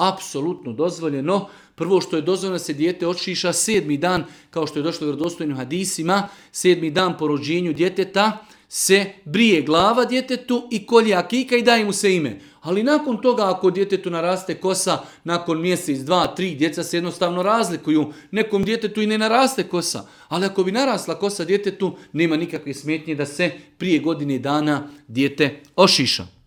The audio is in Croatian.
apsolutno dozvoljeno. Prvo što je dozvoljeno se dijete ošiša 7. dan, kao što je došlo u vjerodostojnim hadisima, 7. dan po rođenju djeteta se brije glava djetetu i kolje akika i daje mu se ime. Ali nakon toga, ako djetetu naraste kosa, nakon mjesec, 2, 3, djeca se jednostavno razlikuju. Nekom djetetu i ne naraste kosa. Ali ako bi narasla kosa djetetu, nema nikakve smetnje da se prije godine dana dijete ošiša.